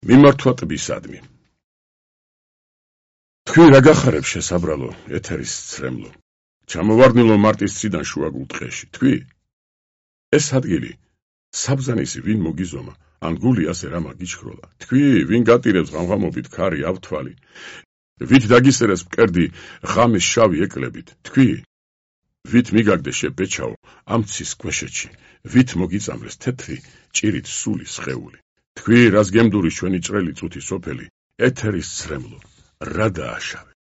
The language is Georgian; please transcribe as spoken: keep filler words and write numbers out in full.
მიმართვა ტბისადმი. თქვი რა გახარებ შესაბრალო, ეთერის ცრემლო. ჩამოვარდნილო მარტის ციდან შუაგულ ტყეში. თქვი ეს ადგილი საბზანისი ვინ მოგიზომა, ან გული ასე რა მაგიჩქროლა. თქვი ვინ გატირებს ღამღამობით ქარი ავთვალი. ვით დაგისერეს მკერდი ღამის შავი ეკლებით. თქვი ვით მიგაგდე შებეჩაო ამ ცის ქვეშეთში. ვით მოგიწამრეს თეთრი ჭირით სული სხეული. თქვი რას გემდურის ჩვენი ჭრელი წუთი სოფელი, ეთერის ცრემლო, რა დააშავე.